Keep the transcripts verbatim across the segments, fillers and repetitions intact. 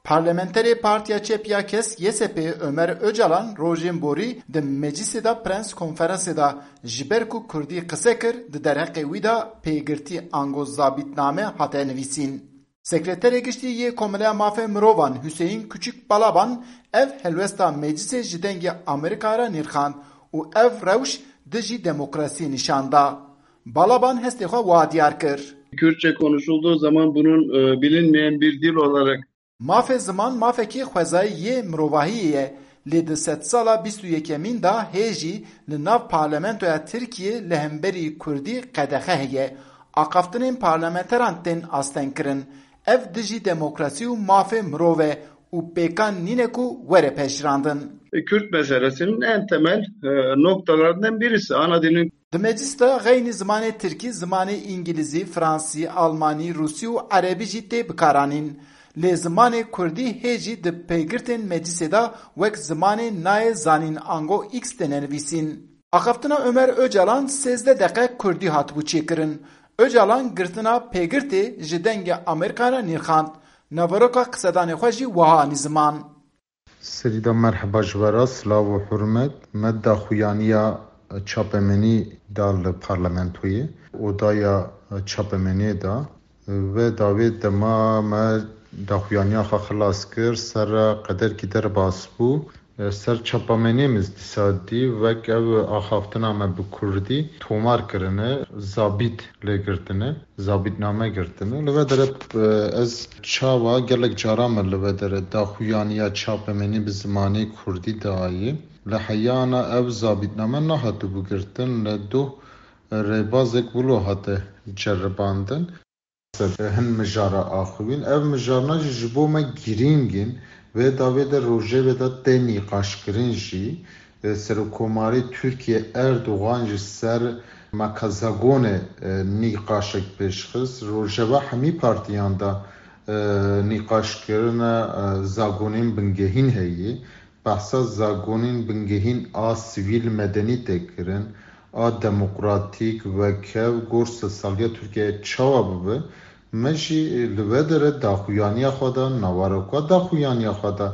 Parlamenterê Partiya Çep ya Kesk, Y S P, Ömer Öcalan rojên borî di meclisê de prens konferansê de ji ber ku kurdî qise kir, di derheqê wî de pêgirtî ango zabîtname hate nivîsîn. Sekreterê Giştî yê Komeleya Mafê Mirovan Hüseyin Küçük Balaban ev helwesta meclisê ji dengê Amerîka re nirxand û ev rewş dijî demokrasiyê nîşan da. Balaban hestê xwe wa diyar kir. Kürtçe konuşulduğu zaman bunun, e, bilinmeyen bir dil olarak Mafê ziman mafekî xwezayî yê mirovahiyê ye, lê di sedsala bîst û yekemîn de hê jî li nav parlamentoya Tirkiyê li hemberî kurdî qedexe heye. Axaftinên parlamenteran tên astengkirin. Ev dijî demokrasî û mafê mirov e û pêkan nîne ku were pejirandin. Kürt meselesinin en temel, e, noktalarından birisi. Ana dilin Di meclis de xeynî zimanê tirkî, zimanê îngilîzî, fransî, almanî, rûsî û erebî jî tê bikaranîn. Lê zimanê kurdî hê jî di pêgirtên meclisê de wek zimanê nayê zanîn ango X têne nivîsîn. Axaftina Ömer Öcalan sêzdeh deqe kurdî hatibû çêkirin. Öcalan girtina pêgirtê ji dengê Amerîka re nirxand. Naveroka qisedanê xwe jî wiha anî ziman. Serî de merheba ji we re, silav û hurmet. Me daxuyaniya çapemenî da li parlamentoyê, odaya çapemeniyê da. Ve dawê dema me daxuyaniya xwe xilas kir, ser re qederkî derbas bû. Ser çapameniyê min dîsa dî, wek ev axaftina me bi kurdî tomar kirine, zabît lê girtine. Zabîtname girtine. Li vê dere, e, ez çawa gelek cara me li vê dere daxuyaniya çapemenî bi zimanê kurdî dayê. Li heyana ev zabîtname nehatibû girtin, li doh rêbazek wilo hate ceribandin. Hin mijara axivîn. Ev mijarna jî ji bo me girîng in. Vê dawê de rojevê de tê nîqaşkirin jî. E, Serokkomarê Tirkiye Erdogan ji ser mekazagonê, e, nîqaşek pêşxist. Rojeva hemî partiyan de, e, nîqaşkirina, e, zagonên bingehîn heye. Behsa zagonên bingehîn a sivîl medenî tê kirin, a demokratîk, wekev, gor sedsaliya Tirkiye çawa bibe, me jî li vê dere daxuyaniya xwe de, naveroka daxuyaniya xwe de,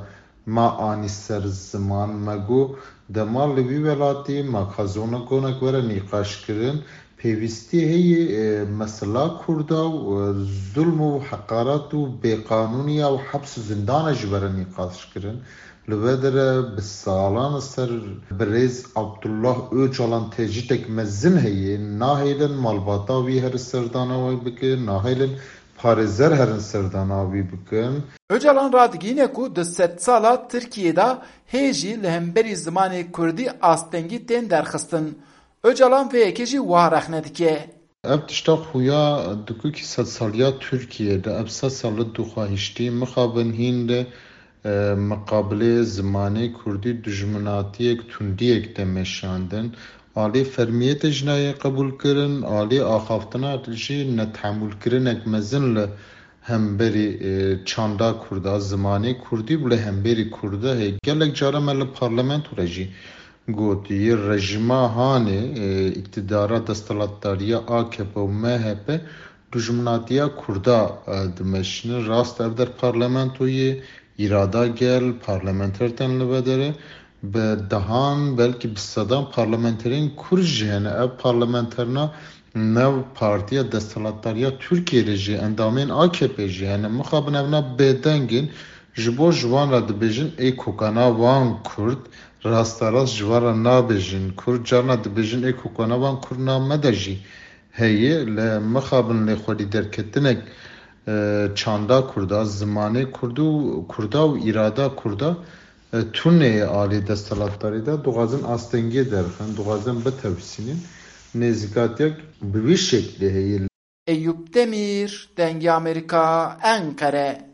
me anî ser ziman, me got, dema li vî welatî mekazagonek were nîqaşkirin, pêwîstî heye, e, mesela Kurda û, e, zulm û heqaret û bêqanûniya û heps û zindana jî were nîqaşkirin. Li vê dere bi salan ser birêz Abdullah Öcalan tecrîdek mezin heye, nahêlin malbata wî herin serdana wî bikin, nahêlin parêzer herin serdana wî bikin. Öcalan radigihîne ku di sedsala Tirkiyê de hê jî li hemberî zimanê kurdî astengî tên derxistin. Öcalan vê yekê jî wiha rexne dike. Ev tişta xuya dikukî sedsaliya Tirkiyê de, ev sed sal li dûxahiştî mixabin hîn li, e, miqabilê zimanê kurdî dijminatiyek, tundiyek tê meşandin. Alî fermiyê tê ji nayê qebûlkirin, alî axaftina jî netehemûlkirinek mezin li hemberî, e, çanda kurda, zimanê kurdî û li hemberî kurda heye. Gelek cara me li parlamento re jî gotî, rejîma hanê, e, îktidara desthilatdariya A K P û M H P dijminatiya kurda, e, dimeşînin. Rast ev der parlamentoyê, îrada gel, parlamenter tên li vê derê. Bi dehan, belkî bi sedan parlamenterên kurd jî hene. Ev parlamenterna nav partiya desthilatdariya Tirkiyê de jî, endamên A K P jî hene. Mixabin evna bêdeng in. Ji bo ji wan re dibêjin, ê kokana wan kurd, rasterast ji wan re nabêjin kurd. Carna dibêjin, ê kokana wan kurd nav me de jî heye. Lê mixabin lê xwedî derketinek, e, çanda kurda, zimanê kurd û kurda û îrada kurda, e, tune ye alî desthilatdarî de, dixwazin astengiyê derxin, dixwazin bitewsînin. Nêzîkatiyek bi vî şeklê heye. Eyüp Demir, Dengê Amerîka, Enqere.